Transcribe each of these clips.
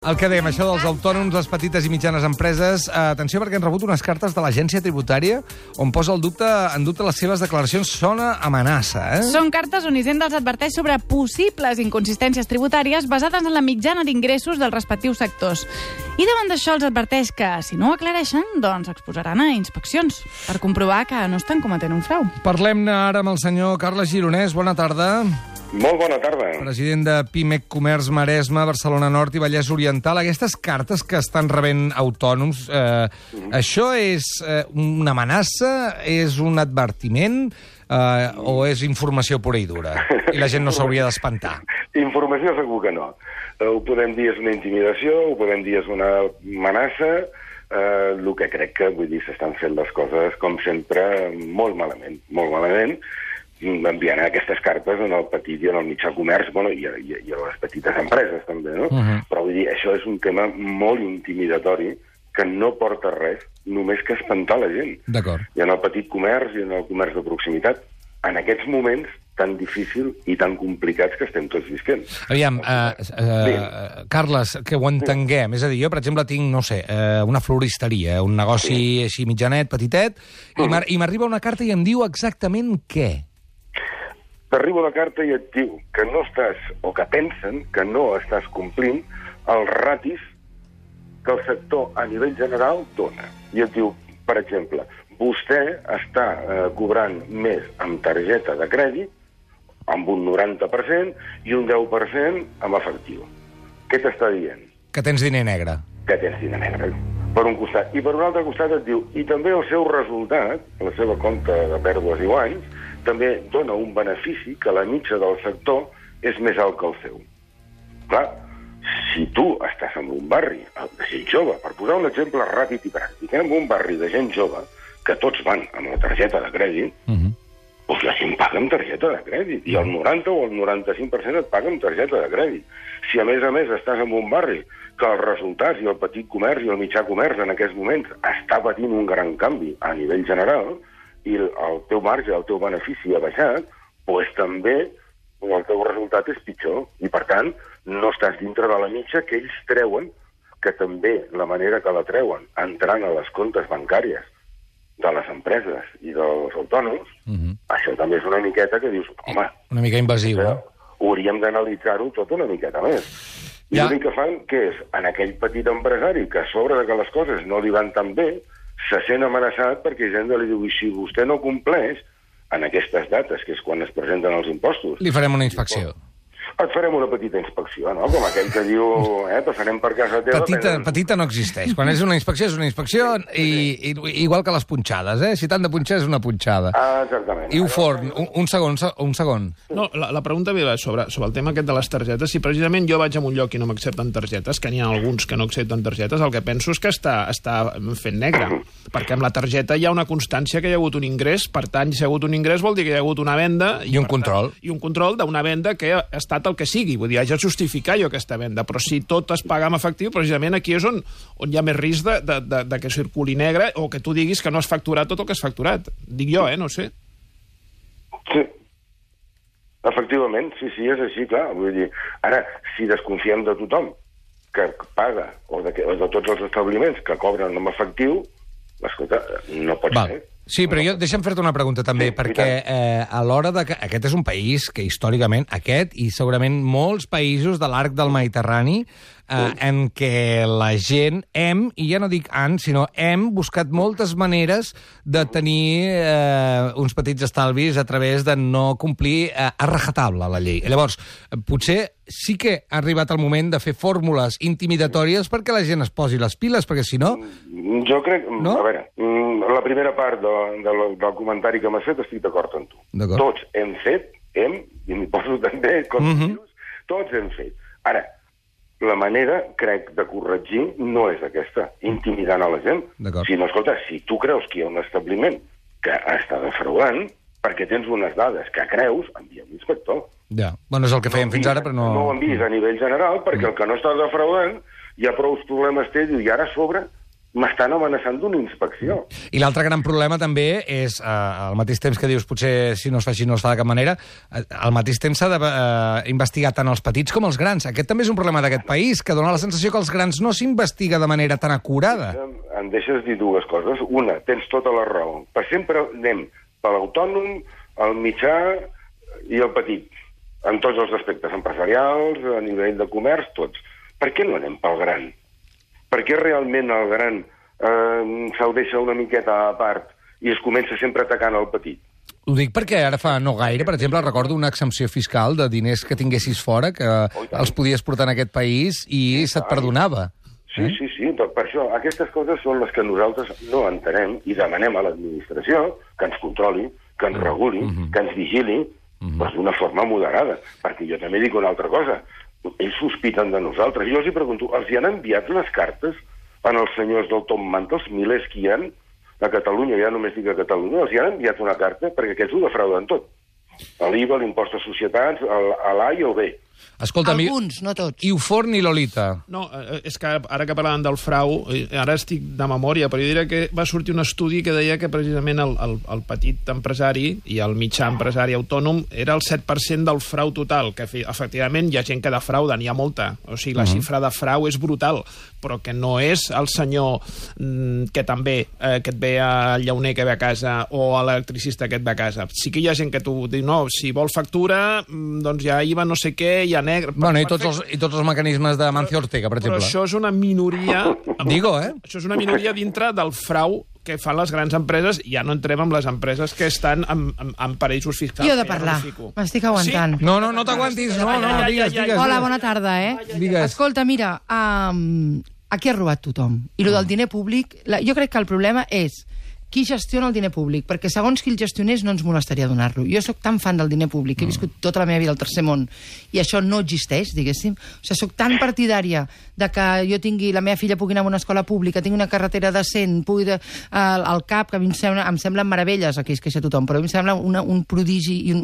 El que dèiem, això dels autònoms, les petites i mitjanes empreses, atenció perquè han rebut unes cartes de l'agència tributària on posa en dubte les seves declaracions. Sona amenaça, eh? Són cartes on Hisenda els adverteix sobre possibles inconsistències tributàries basades en la mitjana d'ingressos dels respectius sectors. I davant d'això els adverteix que, si no ho aclareixen, doncs exposaran a inspeccions per comprovar que no estan cometent un frau. Parlem-ne ara amb el senyor Carles Gironès. Bona tarda. Molt bona tarda. President de Pimec Comerç Maresme, Barcelona Nord i Vallès Oriental. Aquestes cartes que estan rebent autònoms, això és una amenaça, és un advertiment o és informació pura i dura? I la gent no s'hauria d'espantar. Informació segur que no. Ho podem dir és una intimidació, ho podem dir és una amenaça. El que crec que, vull dir, s'estan fent les coses, com sempre, molt malament, molt malament, enviant aquestes cartes en el petit i en el mitjà comerç, bueno, i a les petites empreses, també, no? Però vull dir, això és un tema molt intimidatori que no porta res, només que espantar la gent. D'acord. I en el petit comerç i en el comerç de proximitat, en aquests moments tan difícils i tan complicats que estem tots visquent. Aviam, Carles, que ho entenguem. És a dir, jo, per exemple, tinc, no sé, una floristeria, un negoci així mitjanet, petitet, i m'arriba una carta i em diu exactament què? T'arriba una carta i et diu que no estàs, o que pensen que no estàs complint els ratis que el sector a nivell general dona. I et diu, per exemple, vostè està cobrant més amb targeta de crèdit, amb un 90% i un 10% amb efectiu. Què t'està dient? Que tens diner negre. Que tens diner negre, per un costat. I per un altre costat et diu, i també el seu resultat, la seva compte de pèrdues i guanys, també dona un benefici que la mitja del sector és més alt que el seu. Clar, si tu estàs en un barri de gent jove, per posar un exemple ràpid i pràctic, en un barri de gent jove, que tots van amb la targeta de crèdit, doncs la gent paga amb targeta de crèdit, i el 90 o el 95% et paga amb targeta de crèdit. Si a més estàs en un barri que els resultats i el petit comerç i el mitjà comerç en aquests moments està patint un gran canvi a nivell general, i el teu marge, el teu benefici ha baixat, doncs també el teu resultat és pitjor. I, per tant, no estàs dintre de la mitja que ells treuen, que també la manera que la treuen, entrant a les comptes bancàries de les empreses i dels autònoms, això també és una miqueta que dius, home... Una mica invasiu, no? Hauríem d'analitzar-ho tot una miqueta més. I l'únic que fan, que és, en aquell petit empresari que a sobre de que les coses no li van tan bé, se sent amenaçat perquè Hisenda li diu, i si vostè no compleix en aquestes dates, que és quan es presenten els impostos... Li farem una inspecció. Et farem una petita inspecció, no? Com aquell que diu, passarem per casa teva... Petita no existeix. Quan és una inspecció, i igual que les punxades, eh? Si t'han de punxar, és una punxada. Exactament. I un forn, un segon. No, la pregunta meva és sobre el tema aquest de les targetes. Si precisament jo vaig a un lloc i no m'accepten targetes, que n'hi ha alguns que no accepten targetes, el que penso és que està fent negre. Perquè amb la targeta hi ha una constància que hi ha hagut un ingrés, per tant, si hi ha hagut un ingrés vol dir que hi ha hagut una venda... I un control. I un control d'una venda que ha estat el que sigui, vull dir, haig de justificar jo aquesta venda, però si tot es paga amb efectiu, precisament aquí és on hi ha més risc de que circuli negre o que tu diguis que no has facturat tot el que has facturat. Dic jo, no sé. Sí. Efectivament, sí, és així, clar. Vull dir, ara, si desconfiem de tothom que paga, o de tots els establiments que cobren amb efectiu, escolta, no pot ser. Sí, però deixa'm fer-te una pregunta també, perquè a l'hora de que aquest és un país que històricament, aquest i segurament molts països de l'arc del Mediterrani, en què la gent i ja no dic sinó hem buscat moltes maneres de tenir uns petits estalvis a través de no complir a rajatabla la llei. Llavors, potser sí que ha arribat el moment de fer fórmules intimidatòries perquè la gent es posi les piles, perquè si no... Jo crec... No? A veure, la primera part del comentari que m'has fet estic d'acord amb tu. Tots hem fet, i m'hi poso també, tots hem fet. Ara, la manera, crec, de corregir no és aquesta, intimidant a la gent. Sinó, escolta, si tu creus que hi ha un establiment que està defraudant, perquè tens unes dades que creus, envia l'inspector. Ja, bueno, és el que fèiem fins ara, però no... No ho envies a nivell general, perquè el que no està defraudant hi ha prou problemes té, i ara a sobre m'estan amenaçant d'una inspecció. I l'altre gran problema també és, al mateix temps que dius, potser si no es fa així no es fa de cap manera, al mateix temps s'ha d'investigar tant els petits com els grans. Aquest també és un problema d'aquest país, que dona la sensació que els grans no s'investiga de manera tan acurada. Em deixes dir dues coses. Una, tens tota la raó. Per sempre anem per l'autònom, el mitjà i el petit, en tots els aspectes empresarials, a nivell de comerç, tots. Per què no anem pel gran? Per què realment el gran se'l deixa una miqueta a part i es comença sempre atacant el petit? Ho dic perquè ara fa no gaire, per exemple, recordo una exempció fiscal de diners que tinguessis fora, que els podies portar en aquest país i se't perdonava. Sí, per això aquestes coses són les que nosaltres no entenem i demanem a l'administració que ens controli, que ens reguli, que ens vigili, però d'una forma moderada. Perquè jo també dic una altra cosa. Ells sospiten de nosaltres. Jo els hi pregunto, els hi han enviat les cartes als senyors del Tom Manta, els milers que hi ha a Catalunya, ja només dic a Catalunya, els hi han enviat una carta perquè aquests ho defrauden tot. L'IVA, l'impost de societats, l'A i el B. Escolta, alguns, no tots. I Uforn i Lolita. No, és que ara que parlàvem del frau, ara estic de memòria, però jo diria que va sortir un estudi que deia que precisament el petit empresari i el mitjà empresari autònom era el 7% del frau total, que efectivament hi ha gent que defrauda, n'hi ha molta. O sigui, la xifra de frau és brutal, però que no és el senyor que també que et ve al llauner que ve a casa o a l'electricista que et ve a casa. Sí que hi ha gent que t'ho diu, no, si vol factura, doncs ja IVA no sé què, ja negre... Bueno, i tots els mecanismes de Mancio Ortega, per exemple. Però això és una minoria... Digo, Això és una minoria dintre del frau que fan les grans empreses, i ja no entrem amb les empreses que estan en paraïsos fiscals. Jo he de parlar, m'estic aguantant. Sí? No t'aguantis, digues. Hola, bona tarda, Digues. Escolta, mira, aquí ha robat tothom. I el del diner públic, jo crec que el problema és qui gestiona el diner públic, perquè segons qui el gestionés no ens molestaria donar-lo. Jo sóc tan fan del diner públic, he viscut tota la meva vida al tercer món, i això no existeix, diguéssim. O sigui, sóc tan partidària de que jo tingui, la meva filla pugui anar a una escola pública, tingui una carretera decent, pugui al CAP, que a mi em semblen meravelles, aquí es queixa tothom, però a mi em sembla un prodigi i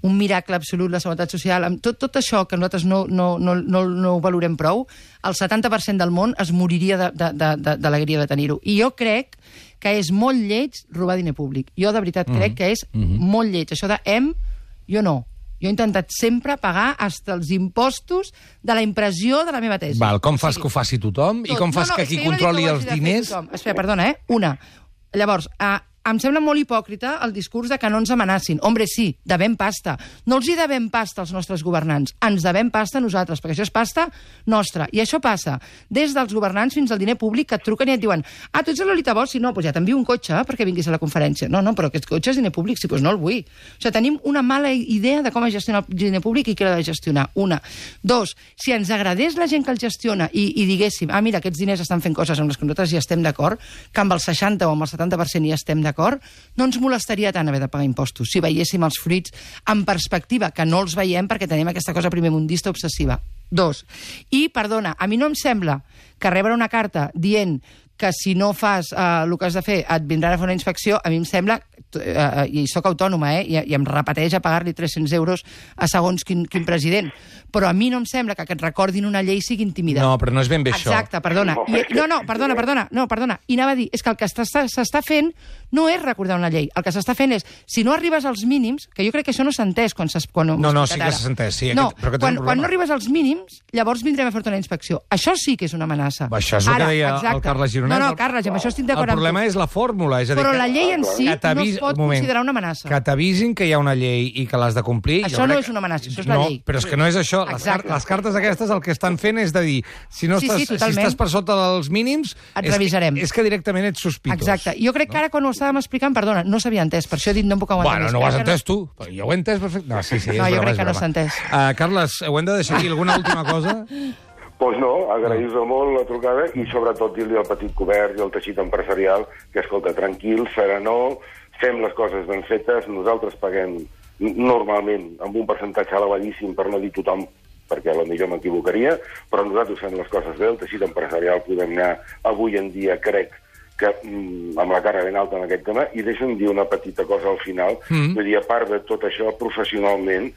un miracle absolut, la seguretat social, amb tot això que nosaltres no ho valorem prou, el 70% del món es moriria d'alegria de tenir-ho. I jo crec que és molt lleig robar diner públic. Jo, de veritat, crec que és molt lleig. Això jo no. Jo he intentat sempre pagar fins els impostos de la impressió de la meva tesi. Val, com fas que ho faci tothom? I com fas que qui controli els diners... Espera, perdona, Una. Llavors, em sembla molt hipòcrita el discurs de que no ens amenacin. Hombre, sí, devem pasta. No els hi devem pasta als nostres governants. Ens devem pasta a nosaltres, perquè això és pasta nostra. I això passa des dels governants fins al diner públic, que et truquen i et diuen tu ets a Lolita Bosch? Sí, no, doncs ja t'envio un cotxe perquè vinguis a la conferència. No, però aquest cotxe és diner públic, sí, doncs no el vull. O sigui, tenim una mala idea de com es gestiona el diner públic i qui l'ha de gestionar. Una. Dos, si ens agradés la gent que el gestiona i diguéssim, mira, aquests diners estan fent coses amb les que nosaltres hi estem d'acord, que amb el 60 o amb el 70% hi estem d'acord, no ens molestaria tant haver de pagar impostos si veiéssim els fruits en perspectiva, que no els veiem perquè tenim aquesta cosa primermundista obsessiva. Dos. I, perdona, a mi no em sembla que rebre una carta dient que si no fas el que has de fer et vindran a fer una inspecció, a mi em sembla, i soc autònoma, i em repeteix a pagar-li 300 euros a segons quin president, però a mi no em sembla que et recordin una llei sigui intimidant. No, però no és ben bé això. Exacte, perdona. Perdona. I anava a dir, és que el que s'està fent no és recordar una llei. El que s'està fent és, si no arribes als mínims, que jo crec que això no s'ha entès quan No, sí que s'ha entès. Sí, quan no arribes als mínims, llavors vindrem a fer-te una inspecció. Això sí que és una amenaça. Això és el que deia el Carles Gironès. No, Carles, amb això estic d'acord amb tu. El problema és la fórmula. És a dir, però la llei en si no es pot considerar una amenaça. Que t'avisin que hi ha una llei i que l'has de complir. Això no és una amenaça, això és la llei. Però és que no és això. Les cartes aquestes el que estan fent és de dir, si estàs per sota dels mínims, et revisarem. És que directament ets sospitós. Exacte. Jo crec que ara quan ho estàvem explicant, perdona, no s'havia entès, per això he dit no em puc aguantar. Bueno, no ho has entès tu. Jo ho he entès perfecte. No, sí, no, jo crec que no s'ha entès. Carles, ho hem de deixar aquí. Alguna última cosa? Doncs no, agrair-vos molt la trucada i sobretot dir-li al petit comerç i al teixit empresarial que, escolta, tranquil, serenor, fem les coses ben fetes, nosaltres paguem normalment amb un percentatge elevadíssim, per no dir tothom, perquè potser m'equivocaria, però nosaltres fem les coses bé, el teixit empresarial podem anar avui en dia, crec, que amb la cara ben alta en aquest tema, i deixa'm dir una petita cosa al final. Vull dir, a part de tot això, professionalment,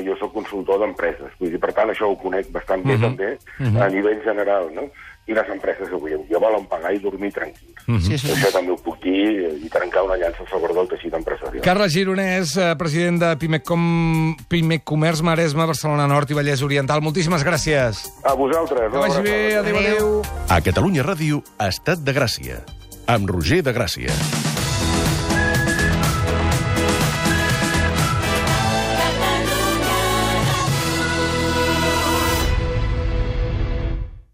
jo soc consultor d'empreses. Vull dir, per tant, això ho conec bastant bé també, a nivell general, no? i les empreses avui en dia volen pagar i dormir tranquils. Sí, Això també ho puc dir i trencar una llança a favor del teixit empresarial. Carles Gironès, president de Pimec Comerç Maresme, Barcelona Nord i Vallès Oriental. Moltíssimes gràcies. A vosaltres. Que vagi bé. Adéu, adéu. A Catalunya Ràdio, Estat de Gràcia, amb Roger de Gràcia.